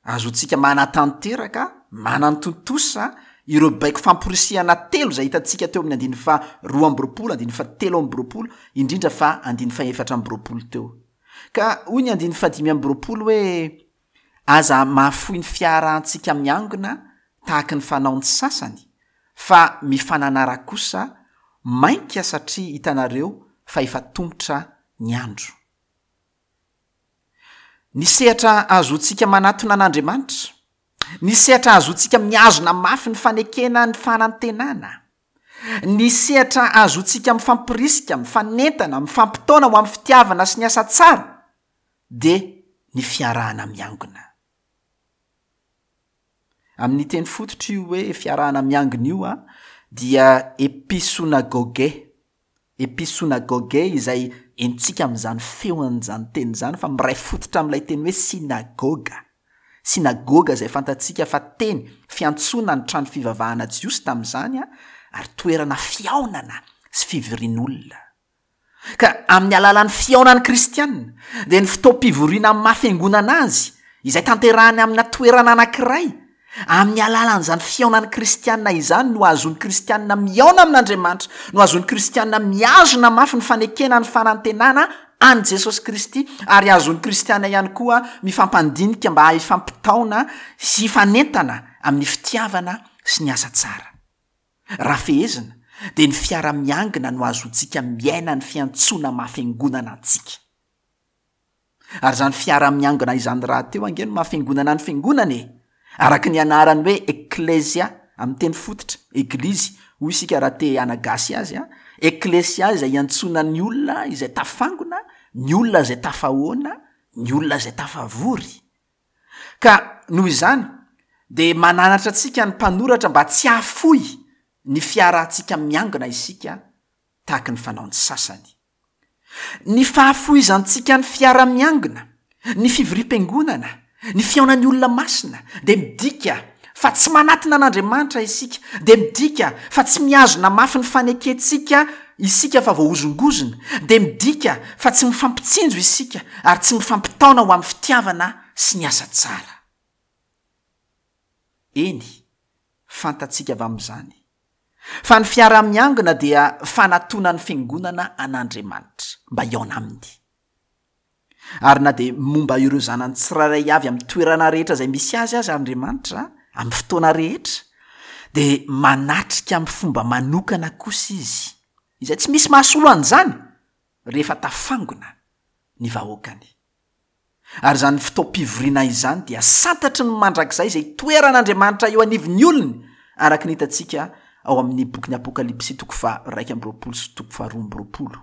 azontsika manatanteraka, manantontosa ireo baiko famporisihana telo izay hitantsika teo amin'ny andininy faha 22, andininy faha 23, indrindra fa andininy faha 24 teo. Ka hoy ny andininy faha 25 hoe, Aza mahafoy ny fiarahantsika miangona tahaky ny fanaon'ny sasany, fa mifananara kosa, mainka satria hitanareo fa efa tomotra ny andro. Ny sehatra ahazoantsika manatona an'Andriamanitra, ny sehatra ahazoantsika mihazona mafy ny fanekena ny fanantenana, ny sehatra ahazoantsika mifampirisika, mifanentana, mifampitaona ho amin'ny fitiavana sy ny asa tsara, dia ny fiarahana miangona. Amin'ny teny fototra io hoe fiarahana miangona io dia episonagoge, episonagoge izay henontsika amin'izany feon'izany teny izany fa miray fototra amin'ilay teny hoe synagoga. Synagoga izay fantatsika fa teny fiantsoana ny trano fivavahana jiosy tamin'izany ary toerana fihaonana sy fivorian'olona. Ka amin'ny alalan'ny fihaonan'ny kristiana, dia ny fotoam-pivoriana amin'ny maha fiangonana azy, izay tanterahiny amina toerana anankiray, amin'ny alalan'izany fihaonan'ny kristiana izany no ahazoan'ny kristiana mihaona amin'Andriamanitra, no ahazoan'ny kristiana mihazona mafy ny fanekena ny fanantenana an'i Jesosy Kristy ary azon'ny kristiana ihany koa mifampandinika mba hifampitaona sy hifanentana amin'ny fitiavana sy ny asa tsara. Raha fehezina dia ny fiara-miangona no ahazoantsika miaina ny fiantsoana maha fiangonana antsika. Ary izany fiara-miangona izany rahateo ange no maha fiangonana ny fiangonana e! Araka ny anarany hoe ekklesia amin'ny teny fototra, eglizy, hoy isika raha te hanagasy azy an, ekklesia izay iantsoana ny olona izay tafangona, ny olona izay tafahoana, ny olona izay tafavory. Ka noho izany dia mananatra antsika ny mpanoratra mba tsy hahafoy ny fiarahantsika miangona isika tahaky ny fanaon'ny sasany. Ny fahafoizantsika ny fiara-miangona, ny fivoriam-piangonana, ny fihaonan'ny olona masina dia midika fa tsy manatona an'Andriamanitra isika, dia midika fa tsy mihazona mafy ny fanekentsika isika fa voahozongozona, dia midika fa tsy mifampitsinjo isika ary tsy mifampitaona ho amin'ny fitiavana sy ny asa tsara. Eny, fantatsika avy amin'izany Fa ny fiaraha-miangona dia fanatonan'ny Fiangonana an'Andriamanitra, mba hihaona Aminy. Ary na dia momba ireo zanany tsirairay avy amin'ny toerana rehetra izay misy azy aza Andriamanitra, amin'ny fotoana rehetra, dia manatrika amin'ny fomba manokana kosa Izy, izay tsy misy mahasolo an'izany, rehefa tafangona ny vahoakany. Ary izany fotoam-pivoriana izany dia santatry ny mandrakizay izay itoeran'Andriamanitra eo anivon'ny olony, araka ny hitantsika ao amin'ny bokin'ny Apokalypsy toko faha-21 sy toko faha-22.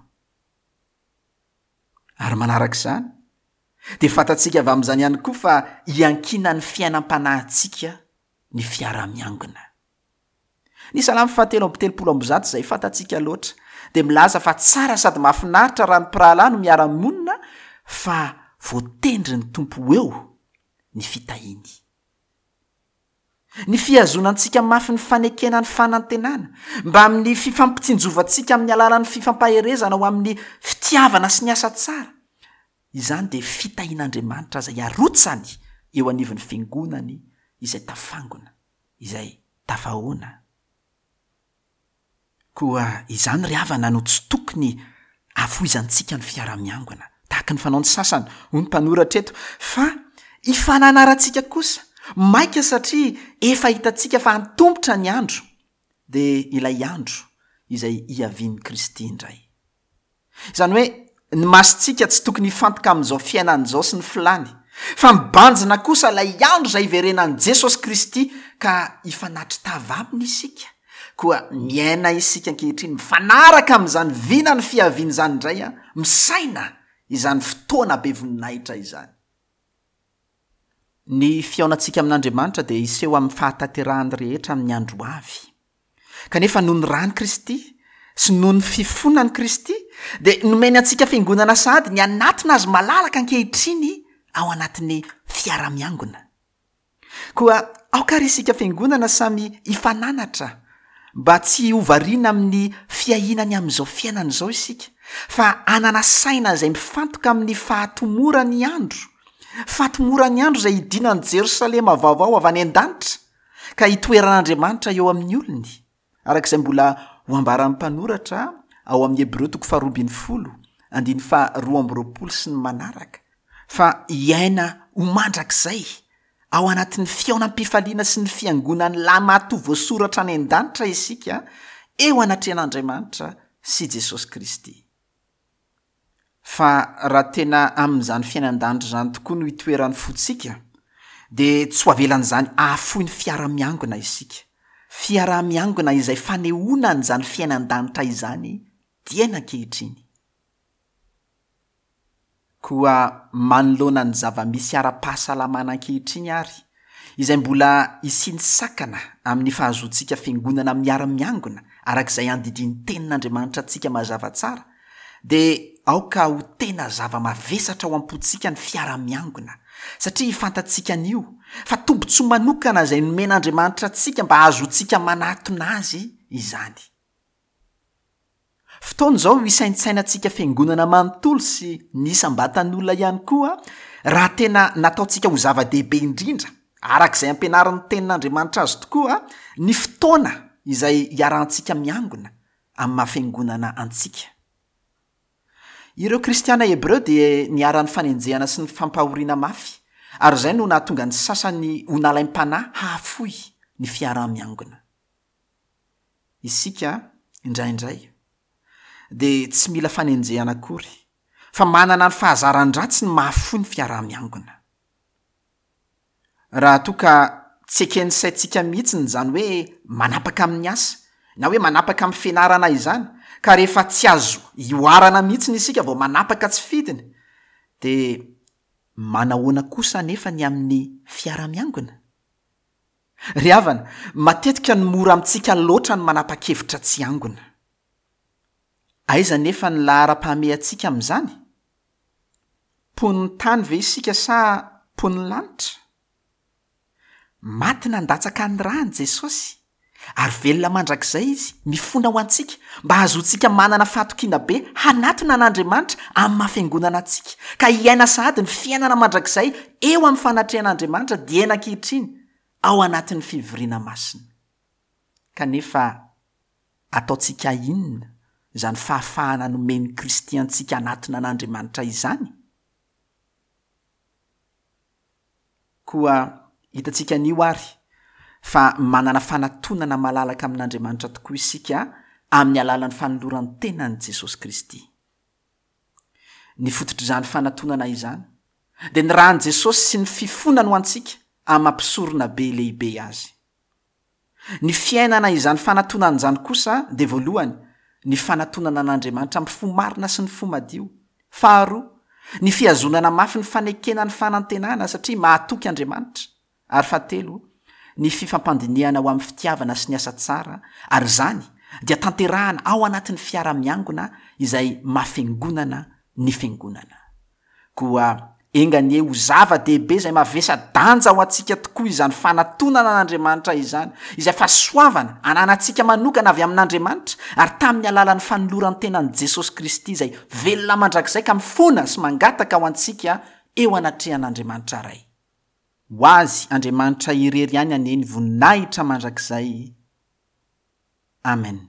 Ary manaraka izany, dia fantatsika avy amin'izany ihany koa fa iankinan'ny fiainam-panahintsika ny fiaraha-miangona. Ny Salamo fahatelo 133 izay fantatsika loatra dia milaza fa tsara sady mahafinaritra raha ny mpirahalahy no miara-monina fa voatendry ny Tompo ho eo ny fitahiany. Ny fihazonantsika mafy ny fanekena ny fanantenana, mbamin'ny fifampitsinjovantsika amin'ny alalan'ny fifampaherezana ho amin'ny fitiavana sy ny asa tsara, izany dia fitahian'Andriamanitra izay arotsany eo anivon'ny fiangonany izay tafangona. izay tafahoana. Koa izany ry havana no tsy tokony hafoizantsika ny fiaraha-miangona, tahaka ny fanaon'ny sasany, hoy ny mpanoratra eto, fa hifananarantsika kosa, maika satria efa hitantsika fa antomotra ny andro, dia ilay andro izay hiavian'i Kristy indray. Izany hoe ny masontsika tsy tokony hifantoka amin'izao fiainana izao sy ny filàny, fa mibanjina kosa ilay andro izay hiverenan'i Jesosy Kristy ka hifanatri-tava Aminy isika. Koa miaina isika ankehitriny mifanaraka amin'izany vinan'ny fiaviany izany indray, misaina izany fotoana be voninahitra izany. Ny fihaonantsika amin'Andriamanitra dia hiseho amin'ny fahatanterahany rehetra amin'ny andro ho avy. Kanefa noho ny ran'i Kristy sy noho ny fifonan'i Kristy dia nomeny antsika fiangonana sahady ny hanatona Azy malalaka ankehitriny ao anatin'ny fiarahamiangona. Koa aoka àry isika fiangonana samy hifananatra mba tsy ho variana amin'ny fiahiana ny amin'izao fiainana izao isika, fa hanana saina izay mifantoka amin'ny fahatomoran'ny andro, fahatomoran'ny andro izay hidinan'i Jerosalema vaovao avy any an-danitra, ka hitoeran'Andriamanitra eo amin'ny olony, araka izay mbola ho ambaran'ny mpanoratra ao amin'ny Hebreo toko faharoa ambin'ny folo, andininy faharoa amby roapolo sy ny manaraka, fa hiaina ho mandrakizay Ao anatin'ny fihaonam-pifaliana sy ny fiangonan'ny lahimatoa voasoratra any an-danitra isika, eo anatrehan'Andriamanitra sy Jesosy Kristy. Fa raha tena amin'izany fiainan-danitra izany tokoa no itoeran'ny fontsika, dia tsy ho avelan'izany hahafoy ny fiara-miangona isika. Fiaraha-miangona izay fanehoana an'izany fiainan-danitra izany dieny ankehitriny. Koa manoloana ny zava-misy ara-pahasalamana ankehitriny àry, izay mbola hisian'ny sakana amin'ny fahazoantsika fiangonana miara-miangona araka izay andidian'ny Tenin'Andriamanitra antsika mazava tsara, dia aoka ho tena zava-mavesatra ao am-pontsika ny fiara-miangona, satria fantatsika anio fa tombontsoa manokana izay nomen'Andriamanitra antsika mba hahazoantsika manatona Azy izany. Fotoana izao hisaintsainantsika fiangonana manontolo sy ny isam-batan'olona ihany koa raha tena nataontsika ho zava-dehibe indrindra araka izay ampianarin'ny Tenin'Andriamanitra azy tokoa ny fotoana izay iarahantsika miangona amin'ny maha fiangonana antsika. Ireo Kristiana Hebreo dia niharan'ny fanenjehana sy ny fampahoriana mafy, ary izay no nahatonga ny sasany ho nalaim-panahy hahafoy ny fiaraha-miangona. Isika, indraindray, dia tsy mila fanenjehana akory, fa manana ny fahazaran-dratsy ny mahafoy ny fiaraha-miangona. Raha toa ka tsy eken'ny saintsika mihitsiny izany hoe manapaka amin'ny asa, na hoe manapaka amin'ny fianarana izany, ka rehefa tsy azo ihoarana mihitsiny isika vao manapaka tsy fidiny, dia manahoana kosa anefa ny amin'ny fiara-miangona? Ry havana, matetika no mora amintsika loatra ny manapa-kevitra tsy hiangona. Aiza anefa ny laharam-pahamehantsika amin'izany? Mponin'ny tany ve isika sa mponin'ny lanitra? Maty nandatsaka ny rany Jesosy, ary velona mandrakizay Izy, mifona ho antsika, mba hahazoantsika manana fahatokiana be hanatona an'Andriamanitra amin'ny maha fiangonana antsika, ka hiaina sahady ny fiainana mandrakizay eo amin'ny fanatrehan'Andriamanitra dieny ankehitriny ao anatin'ny fivoriana masina. Kanefa ataontsika inona izany fahafahana nomen'i Kristy antsika hanatona an'Andriamanitra izany? Koa hitantsika anio àry fa manana fanatonana malalaka amin'Andriamanitra tokoa isika amin'ny alalan'ny fanoloran-tenan'i Jesosy Kristy. Ny fototr'izany fanatonana izany dia ny ran'i Jesosy sy ny fifonany ho antsika amin'ny maha Mpisoronabe lehibe azy. Ny fiainana izany fanatonana izany kosa dia voalohany, ny fanatonana an'Andriamanitra amin'ny fo marina sy ny fo madio. Faharoa, ny fihazonana mafy ny fanekena ny fanantenana satria mahatoky Andriamanitra. Ary fahatelo, ny fifampandinihana ho amin'ny fitiavana sy ny asa tsara, ary izany dia tanterahana ao anatin'ny fiara-miangona izay maha fiangonana ny fiangonana. Koa enga anie ho zava-dehibe izay mavesa-danja ho antsika tokoa izany fanatonana an'Andriamanitra izany, izay fahasoavana ananantsika manokana avy amin'Andriamanitra, ary tamin'ny alalan'ny fanoloran-tenan'i Jesosy Kristy izay velona mandrakizay ka mifona sy mangataka ho antsika eo anatrehan'Andriamanitra Ray. Ho Azy Andriamanitra irery ihany anie ny voninahitra mandrakizay. Amen.